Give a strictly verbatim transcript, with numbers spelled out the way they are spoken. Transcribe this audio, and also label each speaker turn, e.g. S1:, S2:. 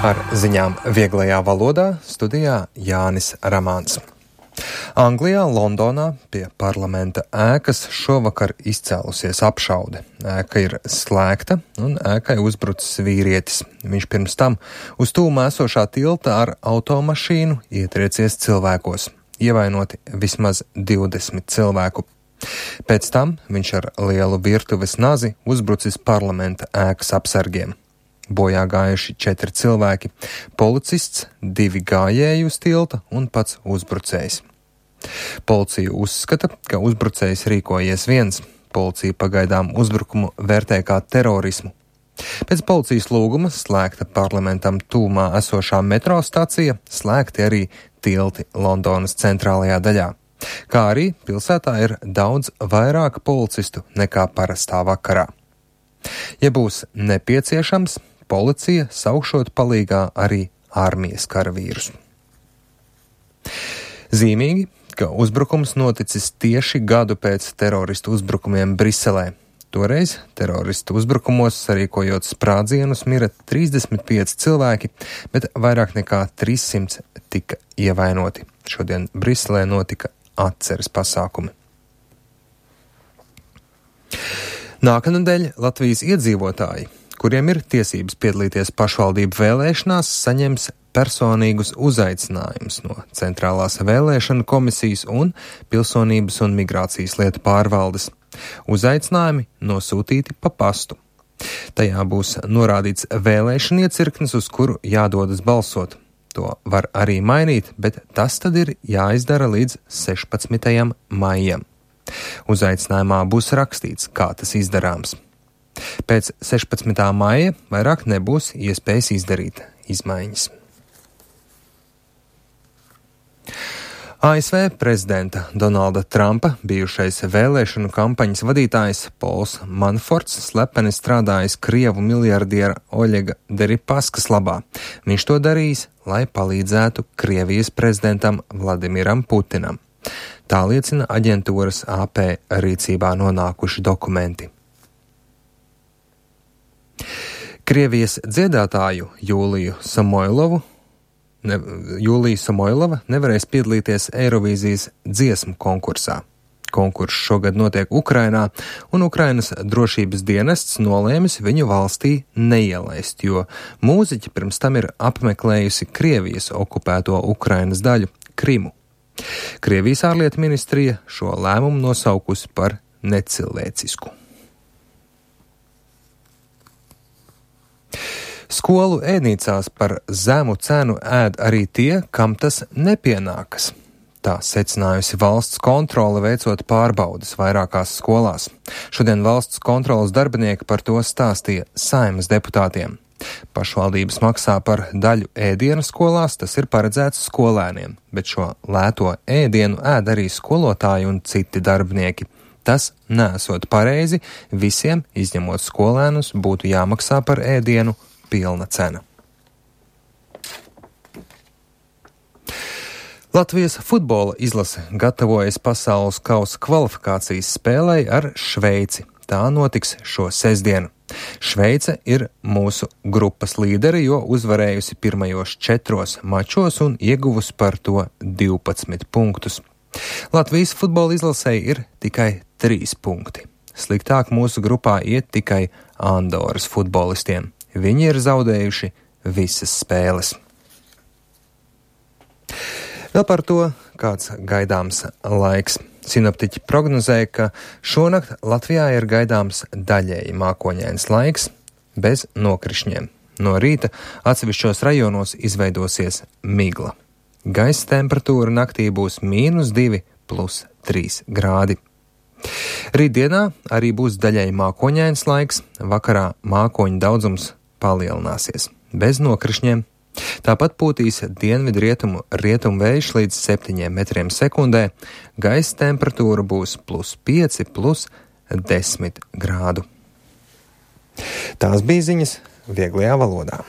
S1: Ar ziņām vieglajā valodā studijā Jānis Ramāns. Anglijā, Londonā pie parlamenta ēkas šovakar izcēlusies apšaude. Ēka ir slēgta un ēkai uzbrucis vīrietis. Viņš pirms tam uz tūmā esošā tilta ar automašīnu ietriecies cilvēkos. Ievainoti vismaz divdesmit cilvēku. Pēc tam viņš ar lielu virtuves nazi uzbrucis parlamenta ēkas apsargiem. Bojā gājuši četri cilvēki, policists, divi gājēji uz tilta un pats uzbrucējs. Policija uzskata, ka uzbrucējs rīkojies viens. Policija pagaidām uzbrukumu vērtē kā terorismu. Pēc policijas lūguma slēgta parlamentam tūmā esošā metro stacija, slēgti arī tilti Londonas centrālajā daļā. Kā arī pilsētā ir daudz vairāk policistu nekā parastā vakarā. Ja būs nepieciešams, policija saukšot palīgā arī armijas karavīrus. Zīmīgi, ka uzbrukums noticis tieši gadu pēc teroristu uzbrukumiem Briselē. Toreiz teroristu uzbrukumos sarīkojot sprādzienus mira trīsdesmit pieci cilvēki, bet vairāk nekā trīs simti tika ievainoti. Šodien Briselē notika atceres pasākumi. Nākamnedēļ Latvijas iedzīvotāji, kuriem ir tiesības piedalīties pašvaldību vēlēšanās, saņems personīgus uzaicinājumus no Centrālās vēlēšanu komisijas un Pilsonības un migrācijas lietu pārvaldes. Uzaicinājumi nosūtīti pa pastu. Tajā būs norādīts vēlēšana iecirknis, uz kuru jādodas balsot. To var arī mainīt, bet tas tad ir jāizdara līdz sešpadsmitajam maijam. Uzaicinājumā būs rakstīts, kā tas izdarāms. Pēc sešpadsmitā maija vairāk nebūs iespējas izdarīt izmaiņas. A S V prezidenta Donalda Trumpa bijušais vēlēšanu kampaņas vadītājs Pols Manaforts slepeni strādājis Krievu miljardiera Oļega Deripaskas labā. Viņš to darījis, lai palīdzētu Krievijas prezidentam Vladimiram Putinam. Tā liecina aģentūras A P rīcībā nonākuši dokumenti. Krievijas dziedātāju Jūliju Samoilovu, ne, Jūlija Samoilova nevarēs piedalīties Eirovīzijas dziesmu konkursā. Konkurss šogad notiek Ukrainā, un Ukrainas drošības dienests nolēmis viņu valstī neielaist, jo mūziķi pirms tam ir apmeklējusi Krievijas okupēto Ukrainas daļu Krimu. Krievijas ārlietu ministrija šo lēmumu nosaukusi par necilvēcisku. Skolu ēdnīcās par zemu cenu ēd arī tie, kam tas nepienākas. Tā secinājusi valsts kontrole veicot pārbaudes vairākās skolās. Šodien valsts kontroles darbinieki par to stāstīja Saeimas deputātiem. Pašvaldības maksā par daļu ēdienu skolās, tas ir paredzēts skolēniem, bet šo lēto ēdienu ēd arī skolotāji un citi darbinieki. Tas nesot pareizi, visiem, izņemot skolēnus, būtu jāmaksā par ēdienu pilna cena. Latvijas futbola izlase gatavojas pasaules kausa kvalifikācijas spēlei ar Šveici. Tā notiks šo sestdienu. Šveice ir mūsu grupas līderi, jo uzvarējusi pirmajos četros mačos un ieguvusi par to divpadsmit punktus. Latvijas futbola izlasei ir tikai trīs punkti. Sliktāk mūsu grupā iet tikai Andoras futbolistiem. Viņi ir zaudējuši visas spēles. Vēl par to, kāds gaidāms laiks. Sinoptiķi prognozēja, ka šonakt Latvijā ir gaidāms daļēji mākoņains laiks bez nokrišņiem. No rīta atsevišķos rajonos izveidosies migla. Gaisa temperatūra naktī būs mīnus divi plus trīs grādi. Rītdienā arī būs daļēji mākoņains laiks, vakarā mākoņu daudzums palielināsies, bez nokrišņiem. Tāpat pūtīs dienvidu rietumu rietumu vējš līdz septiņiem metriem sekundē, gaisa temperatūra būs plus pieci, plus desmit grādu. Tās bija ziņas vieglajā valodā.